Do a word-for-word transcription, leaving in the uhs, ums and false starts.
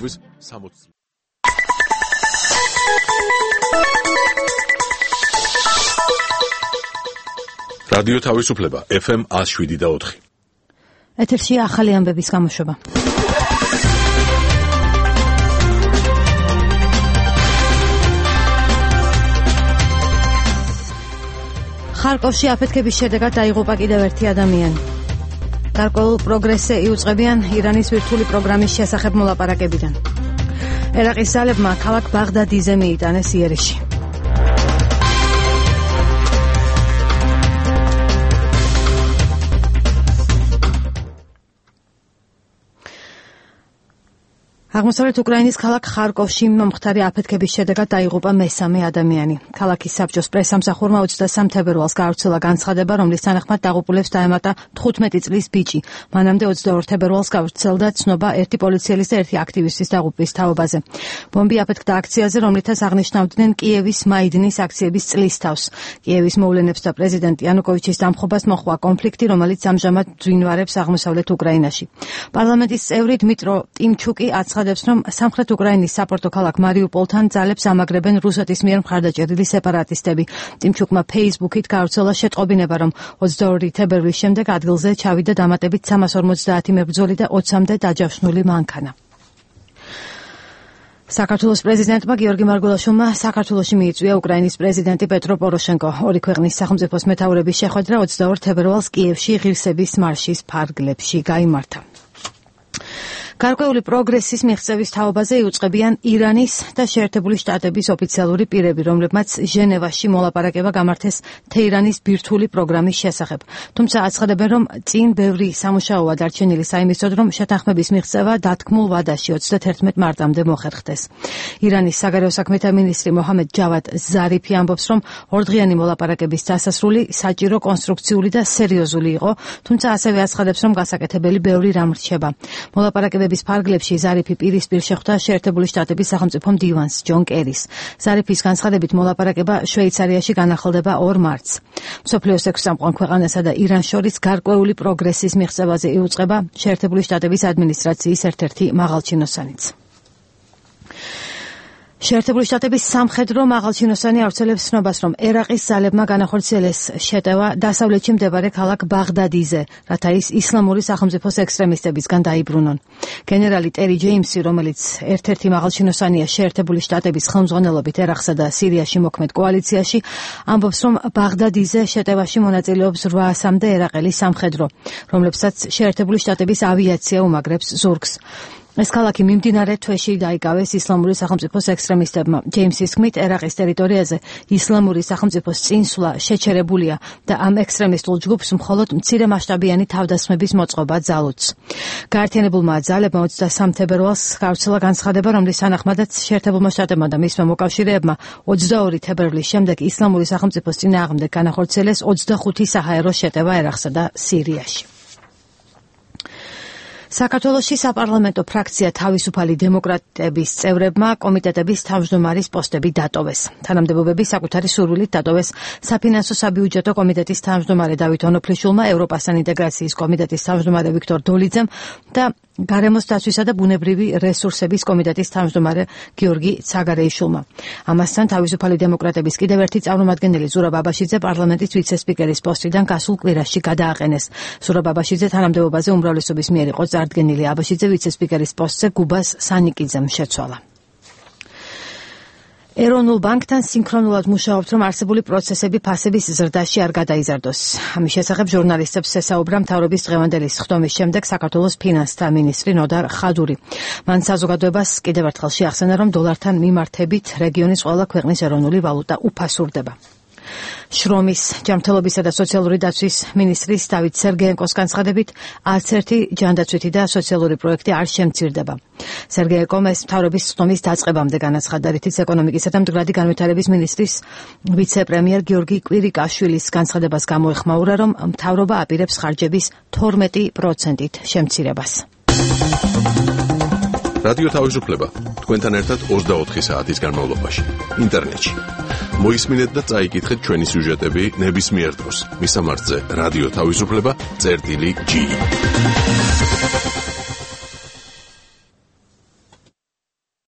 მუშაობის სამოცი წლის. რადიო თავისუფლება ეფ ემ ნული შვიდი და ოთხი. ეთერში ახალი ამბების გამოშვება. ხარკოვში აფეთქების შედეგად დაიღუპა კიდევ ერთი ადამიანი. გარკვეულ პროგრესზე იუწყებიან ირანის ვირტუალური პროგრამის შესახებ მოლაპარაკებიდან. ერაყის ძალებმა ქალაქ ბაღდადიზე მიიტანეს იერიში. აღმოსავლეთ უკრაინის ქალაქ ხარკოვში მომხდარი აფეთქების შედეგად დაიღუპა მესამე ადამიანი. ქალაქის საბჭოს პრესამსახურმა ოცდასამ თებერვალს გაავრცელა განცხადება, რომლის თანახმად დაღუპულებს დაემატა თხუთმეტი წლის ბიჭი. მანამდე ოცდაორ თებერვალს გავრცელდა ცნობა ერთი პოლიციელის და ერთი აქტივისტის დაღუპვის თაობაზე. ბომბი აფეთქდა აქციაზე, რომლითაც აღნიშნავდნენ კიევის მაიდნის აქციების წლისთავს. კიევის მოვლენებს და პრეზიდენტ იანუკოვიჩის დამხობას მოჰყვა კონფლიქტი, რომელიც ამჟამად ძვინვარებს აღმოსავლეთ უკრაინაში. პარლამენტის წევრი დმიტრო ტიმჩუკი აცხადებს, რომ სამხრეთ უკრაინის საპორტო ქალაქ მარიუპოლთან ძალებს ამაგრებენ რუსეთის მიერ მხარდაჭერილი სეპარატისტები. ტიმჩუკმა ფეისბუქით გაავრცელა შეტყობინება, რომ ოცდაორი თებერვლის შემდეგ ადგილზე ჩავიდა დამატებით სამას ორმოცდაათი მებრძოლი და ოცამდე დაჯავშნული მანქანა. საქართველოს პრეზიდენტმა გიორგი მარგველაშვილმა საქართველოში მიიწვია უკრაინის პრეზიდენტი პეტრო პოროშენკო. ორი ქვეყნის სახელმწიფოს მეთაურების შეხვედრა ოცდაორ თებერვალს კიევში ღირსების მარშის ფარგლებში გაიმართა. გარკვეული პროგრესის მიღწევის თაობაზე იუწყებიან ირანის და შეერთებული შტატების ოფიციალური პირები, რომლებმაც ჟენევაში მოლაპარაკება გამართეს თეირანის ბირთვული პროგრამის შესახებ. თუმცა აცხადებენ, რომ წინ ბევრი სამუშაოა დარჩენილი საიმისოდ, რომ შეთანხმების მიღწევა დათქმულ ვადაში ოცდათერთმეტ მარტამდე მოხერხდეს. ირანის საგარეო საქმეთა მინისტრი მოჰამედ ჯავად ზარიფი ამბობს, რომ ორდღიანი მოლაპარაკების დასასრული საჭირო, კონსტრუქციული და სერიოზული იყო, თუმცა ასევე აცხადებს, რომ გასაკეთებელი ბევრი რამ რჩება. მოლაპარაკებების ფარგლებში ზარიფი პირისპირ შეხვდა შეერთებული შტატების სახელმწიფო მდივანს ჯონ კერის. ზარიფის განცხადებით მოლაპარაკება შვეიცარიაში განახლდება ორ მარტს. მსოფლიოს ექვსი წამყვან ქვეყანასა და ირანს შორის გარკვეული პროგრესის მიღწევაზე იუწყება შეერთებული შტატების ადმინისტრაციის ერთ-ერთი მაღალჩინოსანიც. შეერთებული შტატების სამხედრო მაღალჩინოსანი ავრცელებს ცნობას, რომ ერაყის ძალებმა განახორციელეს შეტევა დასავლეთში მდებარე ქალაქ ბაღდადიზე, რათა ის ისლამური სახელმწიფოს ექსტრემისტებისგან დაიბრუნონ. გენერალი ტერი ჯეიმსი, რომელიც ერთ-ერთი მაღალჩინოსანია შეერთებული შტატების ხელმძღვანელობით ერაყსა და სირიაში მოქმედ კოალიციაში, ამბობს, რომ ბაღდადიზე შეტევაში მონაწილეობს რვაასამდე ერაყელი სამხედრო, რომლებსაც შეერთებული შტატების ავიაცია უმაგრებს ზურგს. ეს ქალაქი მიმდინარე თვეში დაიკავეს ისლამური სახელმწიფოს ექსტრემისტებმა. ჯეიმსის თქმით, ერაყის ტერიტორიაზე ისლამური სახელმწიფოს წინსვლა შეჩერებულია და ამ ექსტრემისტულ ჯგუფს მხოლოდ მცირე მასშტაბიანი თავდასხმების მოწყობა ძალუძს. გაერთიანებულმა ძალებმა ოცდასამ თებერვალს გავრცელა განცხადება, რომლის თანახმადაც შეერთებულმა შტატებმა და მისმა მოკავშირეებმა ოცდაორი თებერვლის შემდეგ ისლამური სახელმწიფოს წინააღმდეგ განახორციელეს ოცდახუთი საჰაერო შეტევა ერაყსა და სირიაში. საქართველოში საპარლამენტო ფრაქცია თავისუფალი დემოკრატების წევრებმა კომიტეტების თავმჯდომარის პოსტები დატოვეს. თანამდებობები საკუთარი სურვილით დატოვეს საფინანსო საბიუჯეტო კომიტეტის თავმჯდომარე დავით ონოფლიშვილმა, ევროპასთან ინტეგრაციის კომიტეტის თავმჯდომარე ვიქტორ დოლიძემ და გარემოს დაცვისა და ბუნებრივი რესურსების კომიტეტის თავმჯდომარე გიორგი ცაგარეიშვილმა. ამასთან თავისუფალი დემოკრატების კიდევ ერთი წარმომადგენელი ზურაბ აბაშიძე პარლამენტის ვიცე-სპიკერის პოსტიდან გასულ კვირაში გადააყენეს. ზურაბ აბაშიძე თანამდებობაზე უმრავლესობის მიერ იყო წარდგენილი. აბაშიძე ვიცე-სპიკერის პოსტზე გუბას სანიკიძემ შეცვალა. ეროვნულ ბანკთან სინქრონულად მუშაობთ, რომ არსებული პროცესები ფასების ზრდაში არ გადაიზარდოს. ამის შესახებ ჟურნალისტებს ესაუბრა მთავრობის დღევანდელი სხდომის შემდეგ საქართველოს ფინანსთა მინისტრი ნოდარ ხადური. მან საზოგადოებას კიდევ ერთხელ შეახსენა, რომ დოლართან მიმართებით რეგიონის ყველა ქვეყნის ეროვნული ვალუტა უფასურდება. შრომის, ჯანმრთელობისა და სოციალური დაცვის მინისტრის დავით სერგეენკოს განცხადებით, არც ერთი ჯანდაცვითი და სოციალური პროექტი არ შემცირდება. სერგეენკომ ეს მთავრობის სხდომის დაწყებამდე განაცხადა, რითიც ეკონომიკისა და მდგრადი განვითარების მინისტრის ვიცე-პრემიერ გიორგი კვირიკაშვილის განცხადებას გამოეხმაურა, რომ მთავრობა აპირებს ხარჯების თორმეტი პროცენტით შემცირებას. რადიო თავისუფლება თქვენთან ერთად ოცდაოთხი საათის განმავლობაში ინტერნეტში. მოისმინეთ და წაიკითხეთ ჩვენი სიუჟეტები ნებისმიერ დროს. მისამართზე რადიო თავისუფლება წერტილი ჯი.